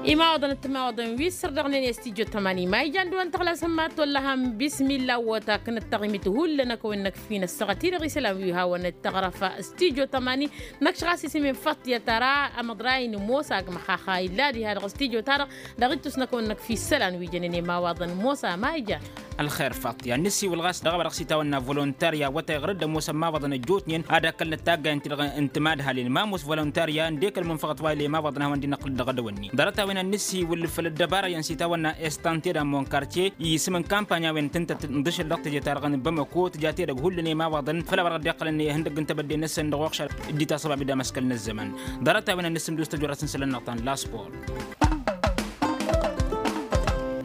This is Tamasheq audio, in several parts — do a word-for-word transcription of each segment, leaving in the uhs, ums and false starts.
Imawaḍăn d-timawaḍăn wi s-sărdăɣnen i-studyo tămani ma ijan dăɣ-wăn tăɣlasăn ma tolăhăm bismilla wăt akǝnăt taɣimit hullan akăwăn-năkf fi-năssăɣăt-i-dăɣ isălan wi hawăn-dd-tăɣrăf studyo tămani. Năkš ɣas isǝm-in faṭṭyăt ara amăḍray n-ămoos agmăx axa illa diha dăɣ-studyo-ta-dăɣ. Dăɣ-ittus n-akăwăn-năkf isălan wi jănen i-imawaḍăn ămoos a ma ijan. Ălxer faṭṭya n-ǝssiwǝl ɣas dăɣ-a-wa dăɣ-s itawănna volontarya wătay ɣăr-dd ămoosăn imawaḍăn ăjjootnen ad-ăkkălnăt taggayen-ti-dăɣ n-timadhalin ma ămoos volontarya ǝndek ălmunfăɣăt wa ila imawaḍăn a hawăn-dd-inăqqǝl dăɣ-edăwănni ḍarăt-a-wen ad-nǝssiwǝl făll-ăddăbara iyyăn s-itawănna estante d-ammon kartye isǝm n-kampany a-wen tǝntăt n-dăšăl dăɣ-teje-ta-dăɣ n-bamăko tǝja tedăgg hullan i-imawaḍăn făll-a-wa dăɣ-dd-iqqălăn ihăndăgg n-tebădde-năsăn dăɣ-oxšar dd-itasăbab d-amăskăl n-ăzzăman. Ḍarăt-a-wen ad-nǝssǝmdǝw s-tăjorăt n-isălan-năɣ ta n-laspor.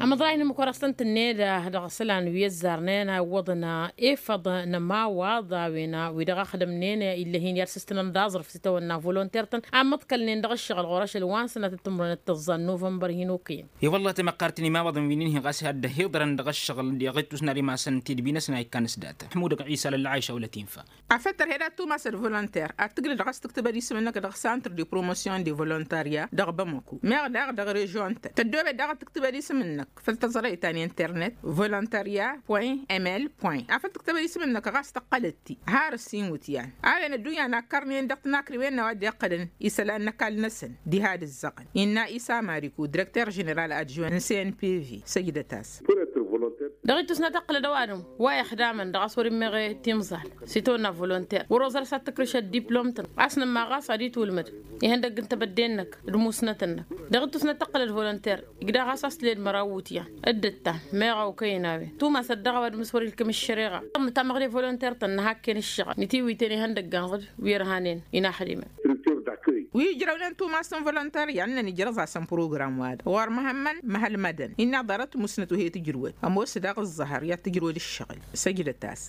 Amăḍray n-imǝkurăsăn tǝnned dăɣ-isălan wi ăzzarnen a iwwăḍăn efăḍ n-ămawaḍ a-wen wi dăɣ-axdămnen illăh-in i-ad-sǝstǝnăn d-aẓrǝf s-itawănna volonter-tăn a măḍkălnen dăɣ-ǝššăɣǝl ɣur-ašăl wa n-sănatăt timǝrwen d-tăẓẓa n-novămbăr hin-okăyăn. I-wălla tamăqqart n-imawaḍăn wi n-inhi ɣas i-ad-dd-ăhiḍărăn dăɣ-ǝššăɣǝl d-iɣittus n-ad-imasăn tidbi-năsăn a ikkan s-data. Ăḥmudăg ɣisa lălla ɛiša wăla tinfa. Afăl tărhed ad-tumasăd volonter ad-tǝglǝd ɣas tǝktǝbăd isǝm-năk dăɣ-santr de promosyon de volontarya dăɣ-bamăku meɣ daɣ dăɣ-režion-tăn tăddoobed daɣ ad-tǝktǝbăd isǝm-năk făll-tăẓrăyt ta n-internet volontarya point ml point afăl tǝktǝbăd isǝm-năk ɣas tăqqălăt-t har ǝssin iwǝtyan a-wen ăddunya nakkărnen dăɣ-tinakriwen n-a-wa dd-iqqălăn isălan n-ăkall-năsăn diha d-ǝzzăɣăn innă isa mariku direkter ženeral adjuwen n-cnpv săjdăt-as. Dăɣ-ittus n-ad-tăqqǝlăd ăwadǝm wa ixdamăn dăɣ-a-s wăr-immeɣ timẓal s-itawănna volonter wăr-oẓăr s-ad-tǝkrǝš ăddiplom-tăn a-s nǝmma ɣas ad-itwǝlmǝd ihăndăgg n-tebădde-năk d-musnăt-năk. Dăɣ-ittus n-ad-tăqqǝlăd volonter igdăɣ a-s a-s tǝled măraw iwǝtyan dd-ǝttan meɣ a okăyăn a-wen tumas ăddiɣ ăwadǝm s-wăr-ilkǝm ǝššăreɣa. Tamăɣde volonter-tăn nǝhakken ǝššăɣǝl nǝtiwǝyten ihăndăggan ɣǝd wi ărhanen inaxdimăn. Wi ǝjrăwnen tumas n-volonter i-ad-năn ijrăẓ-asăn program-wa-dăɣ ɣur-măhămmăn măhălmădăn innă ḍarăt musnăt wi he-tǝjrǝwăd ămoos daɣ ǝẓẓăhăr i-ad-tǝjrǝwăd ǝššăɣǝl. Săjdăt-as.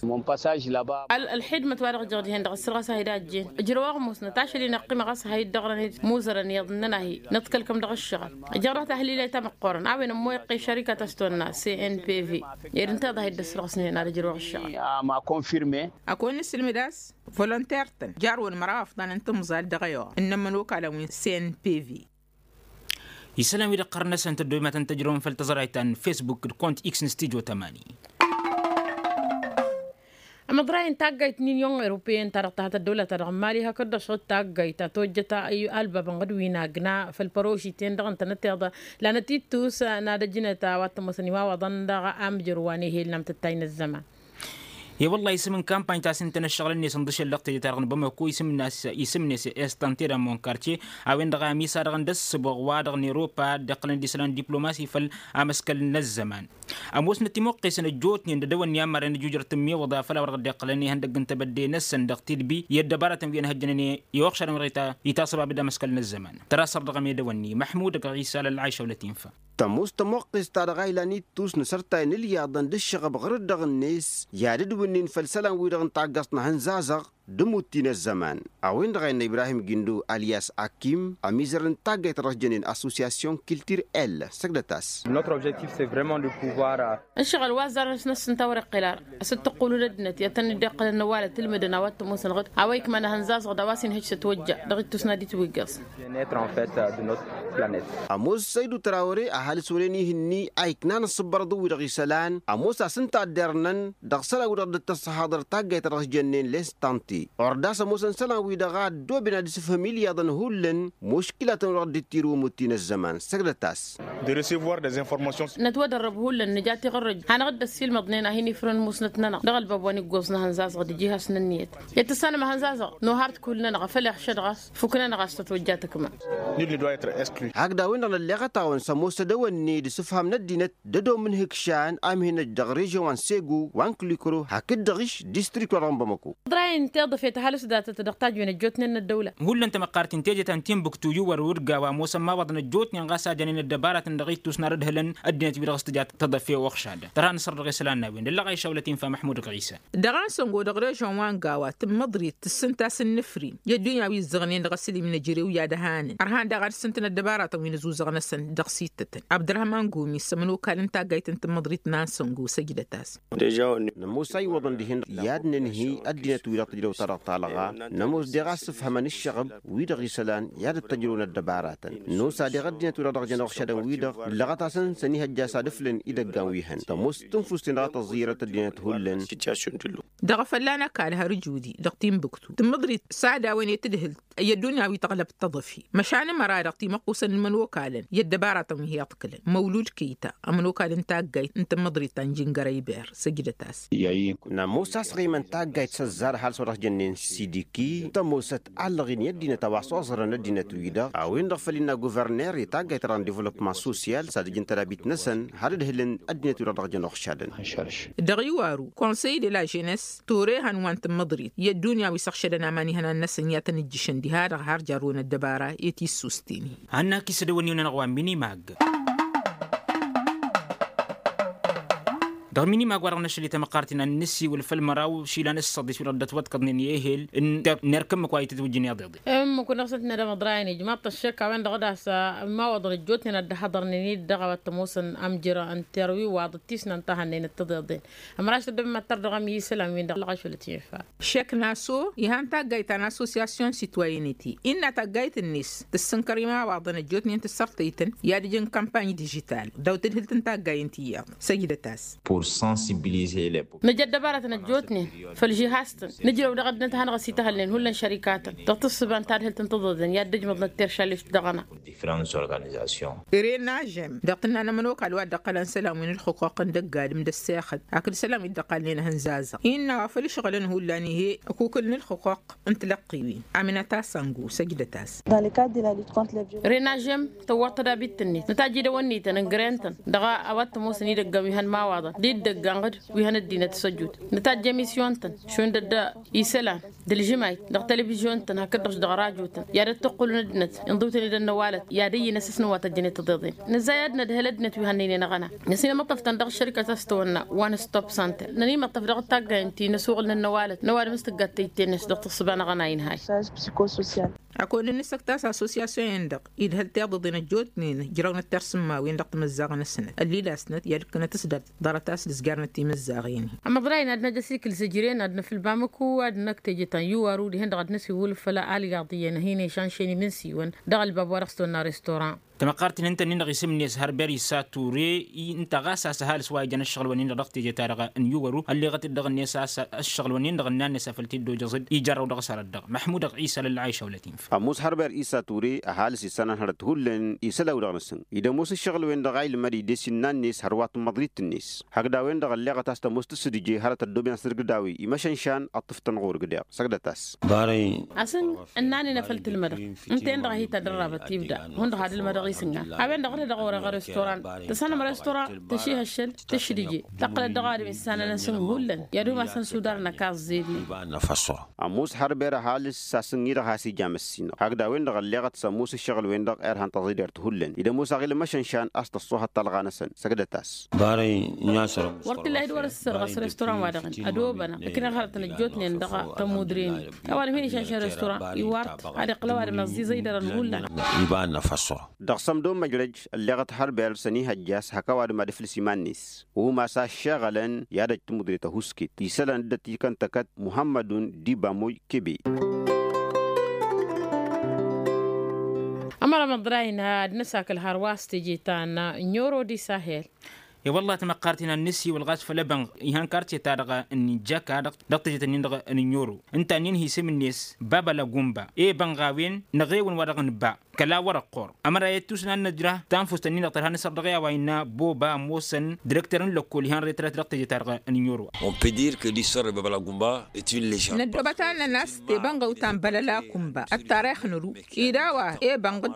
Ălxidmăt wa dăɣ-jăɣ dihen dăɣ-ăssărɣas a hi-dd-ajjen ǝjrăw aɣmus n-atašăl-in ăqqimăɣ a-s a hi-dd-ăɣrăn muzărăn iyyăḍ ǝnnăn-ahi nǝḍkăl-kăm dăɣ-ǝššăɣǝl. Ǝjrăɣ tahlila i-tamăqqoorăn a-wen ămmoyăqqe šărika ta s-tonna cnpv. Ed ǝnta iḍa a hi-dd-ăssărɣăsnen ad-ăjrăwăɣ ǝššăɣǝl. Ăkon nǝsǝlmǝd a-s volonter-tăn jarwăn măraw afḍan n-timẓal dăɣ-ăyuɣ ǝnnăn imănokalăn wi n-cnpv. Isălan wi-dăɣ ɣărăn-năsăn tăddoy ma tăn-tăjrăwăn făll-tăẓrayt ta n-fesbuk d-kont x n-studyo tămani. Amăḍray n-taggayt n-inyon europeyăn ta dăɣ-tahăt ăddăwlăt ta dăɣ-mali hakd-dăɣ šăɣ-dd taggayt ta tojjăt alba bănɣăd wi n-agna făll-părožiten-dăɣ ǝntănăteḍ lanăt-ittus n-ad-ăjnăt a-wa t-ămoosăn imawaḍăn dăɣ-amjăr wa n-ehel n-amtăttay n-ăzzăman. I-wălla isǝm n-kampany ta s-ǝntănăt šăɣǝl-net n-dăšel dăɣ-teje-ta-dăɣ n-bamăko isǝm-net estante d-ammon kartye a-wen-dăɣ a ămisadăɣăn d-ăssǝboɣ wa dăɣ-n-europa dd-iqqălăn d-isălan diplomasi făll-amăskăl n-ăzzăman. Ămoosnăt timuqqesăn ăjjootnen d-edăwănni ammarăn ijujrăt n-imiwǝḍa făll-a-wa dăɣ-dd-iqqălăn ihăndăgg n-tebădde-năsăn dăɣ-tidbi i-ăddăbarătăn wi ănhăjjănen i-uɣšadăn wa dăɣ-itasăbabed amăskăl n-ăzzăman. Tăra sărdăɣăm i-edăwănni măḥmud ăgg ɣisa lăllayša wăla tinfa. Tămoos tămuqqest-ta-dăɣ a ilan ittus n-asărtay n-ǝlyaḍăn d-ǝššăɣăb ɣǝr-dd-dăɣ-net i-ad-dd-wǝnnin făll-isălan-wi-dăɣ n-taggăẓt n-ehănzazăɣ d-imutti n-ăzzăman. A-wen-dăɣ a innă ibrahim gindo alyas akim ămizăr n-taggayt ta dăɣ-s jănen association kiltir el săgdăt-as. Ǝššăɣǝl wa ăzzarăn s-năssǝnta wăr-iqqǝl ara a-s dd-tăqqulun ăddinăt i-ad-tăn-dd-iqqălăn n-ăwalăt ǝlmǝdăn a-wa t-ămoosăn ɣǝd a-wa ikman ehănzazăɣ d-a-wa s-inhǝj s-ătwăjja dăɣ-ittus n-ad-itwǝggăẓ. Ămoos săydu tărawăre ăhalǝs wăren ih'-ni a iknan ăṣṣǝbbărăḍ-wi-dăɣ isălan ămoos a-s ǝnta a dd-irnăn dăɣ-isălan-wi-dăɣ dd-tăssăhaḍăr taggayt ta dăɣ-s jănnen lestante. Ordas ămoosăn isălan-wi-dăɣ a ăddooben ad-isǝfhǝm ilyaḍăn hullan muškilatăn-wi-dăɣ dd-tirǝw imutti n-ăzzăman săgdăt-as. Nătwădărrăb hullan nǝja tiɣărrăj hanăɣ-dd-ăssiilmăḍnen a hin-ifrăn musnăt-nănăɣ dăɣ-ălbab wa n-iggoẓ n-ehănzazăɣ d-iji hasnă ǝnniyăt. I-ad-tǝssanăm ehănzazăɣ nohar-t kull-nănăɣ afăl iɣšăd ɣas fuk-nănăɣ a-s tătwăjja tăkma. Hakd a-wen-dăɣ nălleɣăt-awăn s-ămoos edăwănne d-asǝfham n-ăddinăt d-ădoom n-ihǝkšan a ǝmhǝnăj dăɣ-režion wa n-sego wa n-kǝlikro hakd-dăɣ-iš distrikt-wa-dăɣ n-bamăko. Ḍrayăn teḍăfet ăhalǝs datăt dăɣ-tajwen ăjjootnen n-ăddăwla. Hullan tamăqqart n-teje ta n-tinbuktu iwwăr urga wa ămoosăn imawaḍăn ăjjootnen ɣas a jănen ăddăbaratăn dăɣ-ittus n-ad-ădhǝlăn ăddinăt-wi-dăɣ s-tǝja tăḍăfe uɣšadăn tărha n-asăr dăɣ-isălan n-a-wen d-ăllăɣ a išawlăt infa măḥmud ɣisa. Dăɣ-a n-săngo dăɣ-režion wa n-gawa tǝmmăḍrit tǝssǝnta s-ǝnnǝfrin i-ăddunya wi ǝzzăɣnen dăɣ-asǝlim n-ejărew i-ad-ăhanăn ărhan daɣ ad-ǝssǝntăn ăddăbaratăn wi n-ăzuzăɣ-năsăn dăɣ-sittătăn. Abdărhăman gomi s-ămănokal n-taggayt n-tǝmmăḍrit n-a n-săngo săjdăt-as. Nămoos a iwwăḍăn dihen i-ad-nǝnhǝy ăddinăt-wi-dăɣ tǝjrăw. ăttărăɣ talɣa. Nămoos deɣ a-s ǝfhămăn ǝššăɣǝb wi-dăɣ isălan i-ad-ăttăjrăwăn ăddăbaratăn. Nosa deɣ ăddinăt-wi-dăɣ dăɣ-jăn uɣšadăn-wi-dăɣ ǝllăɣăt-asăn s-ănihăjja a-s ad-ǝflǝn idăggan wi hăn tămoos tǝnfust-in-dăɣ a tăẓẓirăt ăddinăt hullan. Dăɣ-efălla n-ăkall har ǝjudi dăɣ-timbuktu tǝmmǝḍrit s-ad-a-wen i-tǝdhǝlt i-ăddunya wi tăɣlăb tăḍăfi. Măšan ămăra-dăɣ timăqqusăn n-imănokalăn i-ăddăbaratăn wi hi-iḍkǝlăn măwlud kăyta ămănokal n-taggayt n-tǝmmǝḍrit ta n-jingăra iber. Săjdăt-as. Nămoos a-s ɣimăn taggayt s-ăzzar ăhalǝs wa dăɣ-jănnen sidiki tămoosăt allăɣ-in i-ăddinăt a-wa s-oẓărăn ăddinăt-wi-dăɣ a-wen-dăɣ făl innă guverner i-taggayt-ta-dăɣ n-divălopman sosyal s-ad-ǝjǝn tădabit-năsăn har dd-hǝlǝn ăddinăt-wi-dăɣ dăɣ-jăn uɣšadăn. Dăɣ-iwaru konsăy de la ženess ture han wa n-tǝmmǝḍrit i-ăddunya wi s-ăɣšădăn aman ihănan-năsăn i-ad-tăn-ǝjjǝšăn diha-dăɣ har jarrăwăn ăddăbara i-tissusten-i. Hanna-k isădăwăn iwǝnăn ăɣwa minimag. Dăɣ-minimag wa-dăɣ n-ašăl i-tamăqqart-in ad-nǝsiwǝl făll-măraw išilan s-săḍis wi-dăɣ dd-ătwăḍkăḍnen i-ehel n-erk ǝmmǝk wa itǝtwǝjjǝn iḍeḍen. Ǝmmǝk wa n-dăɣ-săn tǝnnădăm ăḍrayăn ijmaḍ-t ăššăk a-wen-dăɣ d-a-s imawaḍăn ăjjootnen ad-dd-haḍărnen-dd dăɣ-a-wa t-ămoosăn amjăr n-terwi wa dd-tisnăn ta hannăynăt tiḍeḍen. Ămraš tăddăbăm ad-tărdăɣăm i-isălan-win-dăɣ ălɣašălăt infa. Šek naso ihan taggayt ta n-associasyon sitwayeniti innă taggayt-net tǝssǝnkăr imawaḍăn ăjjootnen tǝssărtăy-tăn i-ad-ǝjǝn kampany dižital daw-tǝdhǝlt n-taggayen ti iyyăḍ. Săjdăt-as. Nǝja ăddăbaratăn ăjjootnen făll-žihaz-tăn nǝjrăw dăɣ-ăddinăt ad-hanăɣ-ăsităhălnen hullan šărikatăn dăɣ-tǝssǝba n-tadhǝlt n-tiḍeḍen i-ad-dd-ăjmăḍnăt teršaleš dăɣ-ăna. Ren ažem dăɣ-tǝnna n-ămănokal wa dd-ăqqălăn isălan wi n-ǝlxǝquq n-dăgg-adǝm d-ăssexăt hakd isălan wi dd-ăqqalnen ehăn zazăɣ innă wa făl ǝšɣǝlăn hullan ih'-e ăkukǝl n-ǝlxǝquq n-tilăqqi-win. Aminăt-as ăngu săjdăt-as. Ren ažem tăwwăḍ tădabit-net nǝtajj idăwănnităn ǝngrǝyăn-tăn dăɣ-a-wa t-ămoosăn idăggan wi hăn imawaḍăn d-idăggan ɣǝd wi hăn ăddinăt s-ăjut. Nǝtajj emisyun-tăn šund ădda isălan d-ălžǝmayt dăɣ-televizyon-tăn hakd-dăɣ dăɣ-rajotăn i-ad-ăttăqqǝlun ăddinăt inḍǝw-tăn-dd ănnăwalăt i-ad-ăyyǝn asǝsnǝwat ăjjănet tiḍeḍen. Nǝzzay ad-nădhăl ăddinăt wi hannăynen aɣăna năsinămăṭṭăf-tăn dăɣ-ăššărikăt a-s tăwănna one stop center nănimăṭṭăf dăɣ-taggayăn ti n-asuɣǝl n-ănnăwalăt n-ăwadǝm s-tǝggat tăyt-net dăɣ-tǝssǝba n-aɣăna inhăy. Ăkod-nǝsǝktas assosyasyon-en-dăɣ idhăl tiḍǝḍen ăjjootnen ǝjrăwnăt tirsǝmmawen dăɣ-timǝzzaɣ-năsnăt ăllilasnăt i-ad-ǝkkǝnăt s-dăr ḍarăt-as d-ǝzgarnăt timǝzzaɣen. Amăḍray n-ad-năj ăsikǝl zǝjren ad-năfǝl bamǝku ad-năkk teje ta n-iwaru dihen-dăɣ ad-năsiwǝl făll-alyaḍ iyyăn hin-išanšen imǝnsiwăn dăɣ-ălbab wa dăɣ-s tonna restoran. Tamăqqart-in ǝnta-nin-dăɣ isǝm-net hărber isa ture ǝnta ɣas a-s ăhalǝs wa ijăn ǝššăɣǝl-wăn-in-dăɣ dăɣ-teje-ta-dăɣ n-iwaru ălleɣăt-dd dăɣ-net a-s ǝššăɣǝl-wăn-in-dăɣ ǝnnan-net a făl t-dd-ojăẓ-dd ija ărrăw dăɣ-s arăt-dăɣ măḥmud ăɣisa lălɣayša wăla tinfa. Ămoos hărber isa ture ăhalǝs isălan hărăt hullan isălan-wi-dăɣ nǝsǝn id-ămoos ǝššăɣǝl-wen-dăɣ a ilmăd ides innă-net hărwa tǝmmăḍrit-net hakd a-wen-dăɣ ălleɣăt a-s tămoos tǝssǝdǝje hărăt ăddoben asǝrgǝd a-wen imăšănšan ăṭṭǝf-tăn ɣur-ǝgg deɣ săgdăt-as. Asǝn ǝnnan-in a făl tǝlmădăɣ ǝnta-en-dăɣ a hi-tadărrabăt ibda hundăɣ ad-ǝlmădăɣ isǝnna a-wen-dăɣ ɣǝd-edăɣ orăɣ ărăstoran tăsănăm răstoran tăšihăššăl tǝšdǝje tăqqǝlăt dăɣ-adǝm issanăn asǝn hullan i-ad-umasăn sudar n-ăkaẓ zednen. Ămoos hărber ăhalǝs s-asǝnni-dăɣ has-ija măssinăɣ hakd a-wen-dăɣ ălleɣăt s-ămoos ǝššăɣǝl-wen-dăɣ irhan tăẓidert hullan id-ămoos aɣilăm ašănšan a-s tăṣṣuhăt talɣa-năsăn săgdăt-as. Wăr t-illa a hi-dd-wăr-ǝssărɣăs răstoran-wa-dăɣ-en ădobănăɣ ǝknăɣ hărătăn ăjjootnen dăɣ-tămmudren-i ăwadǝm hin-išănšăn răstoran iwar-t ad-iqqǝl ăwadǝm ăẓẓiẓăy dăr-ănhulla. Dăɣ-sămdo măjrăj ălleɣăt hărber s-ănihăjja a-s hak ăwadǝm ad-ǝflǝs iman-net umas a ăššeɣălăn i-ad-ăj tămmudre tăhuskit isălan dd-ătikăn tăkăt muhămmădun d-ibamoy kebe. Ămărăm ăḍrayna ad-nǝsakǝl hărwa s-teje ta n-ănnioro d-isahel. E-wălla tamăqqart-in ad-nǝsiwǝl ɣas făll-ebănɣ ihăn kartye-ta-dăɣ n-jaka dăɣ-tejet-ǝnnin-dăɣ n-ănnioro ǝnta-nin hi-isǝm-net baba lăgumba i-ebănɣ a-wen năɣ ewăn wa dăɣ-nǝba. Kăla wăr-ăqqor ămăra i-tusna n-năjra tanfust-ǝnnin-dăɣ tărha n-asăr dăɣ-i a-wa innă boba ămoosăn direkter n-lăkkol ihăn retret dăɣ-teje-ta-dăɣ n-ănnioro. Năddobăt-anăn a-s tebănɣăw ta n-bălăla kumba ăttarix n-ăru ed a-wa ebănɣăt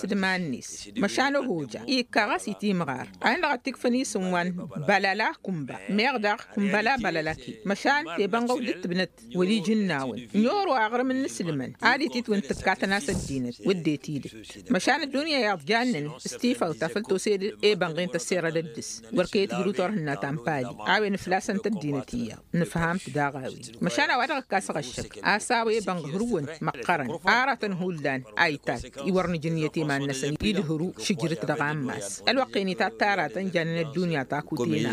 d-iman-net măšan ăhoja ikka ɣas itimɣar a-wen-dăɣ ăttikfăn isǝm wa n-bălăla kumba meɣ daɣ kumbăla bălăla ki măšan tebănɣăw dd-tǝbnăt wăla ijǝnnawăn. N-oro aɣrǝm n-inǝslǝmăn ad-ititwǝn tǝkkatăn-as ăddinăt wădden tidǝt măšan ăddunya iyyăḍ jannen s-tifawt ta făl tose d-ebănɣen tăsserăd ăddǝs wăr kăy-ătbǝru turhǝnna ta n-pali a-wen ǝflasăn-t ăddinăt iyyăḍ nǝfham-t daɣ a-wen măšan a-wa dăɣ-ǝkkasăɣ ăššăk a-s a-wa ebănɣ hărwăn măqqărăn aratăn hullan a itat i-wăr nǝj ǝnniyăt iman-năsăn idhǝru šǝjrǝt dăɣ-ammas ălwăqq-en itat taratăn jannen ăddunya ta kutena.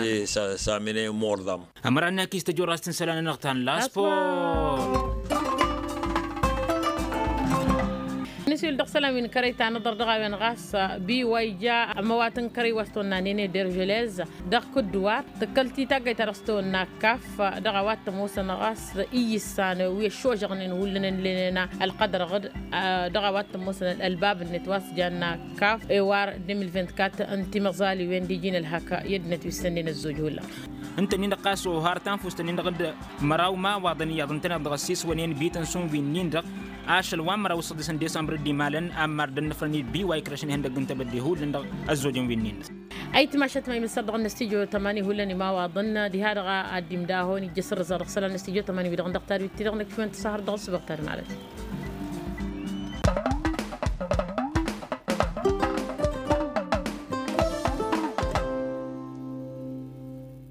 Ămăra n-akis tăjorrast n-isălan-nănăɣ ta n-laspor. Dăɣ-isălan wi n-kărăy ta n-aḍăr dăɣ-a-wen ɣas, bi wa ija ămăwat n-kărăy wa s-tăwănna n-ene dergelez dăɣ-kǝddǝwar tǝkkăl-t i-taggăyt ta dăɣ-s tăwănna kaf. Dăɣ-a-wa t-ămoosăn ɣas iyyǝssan wi ăššožăɣnen hullan ǝnlenen ălqădrăɣ-dd. Dăɣ-a-wa t-ămoosăn ălbab-net wa s-janna kaf ewar deux mille vingt-quatre n-timăẓaliwen d-iji n-ălhak i-ăddinăt wi s-sănnen ăzzoj hullan. Ǝnta-nin-dăɣ ɣas ohar tanfust-nin-dăɣ d-măraw imawaḍăn iyyăḍ ǝntăneḍ dăɣ-ăssiswănen bităn s-unvi-nin-dăɣ ašăl wa n-măraw s-ăḍḍisăn disămbr dd-imalăn ammar dd-ănnăfrăn-dd bi wa ikrăšăn ihăndăgg n-tebădde hullan dăɣ-ăzzojăn wi-nin-dăɣ. Ayǝtmašat ma imǝssăr dăɣ-năstijyo tămani hullan imawaḍăn diha-dăɣ a dd-imdahon ijjăs ărrǝza dăɣ-isălan n-năstijyo tămani wi-dăɣ n-dăɣ tadwit-ti-dăɣ năkk šund tăsahăr dăɣ-ăssubăɣ tadmalăt.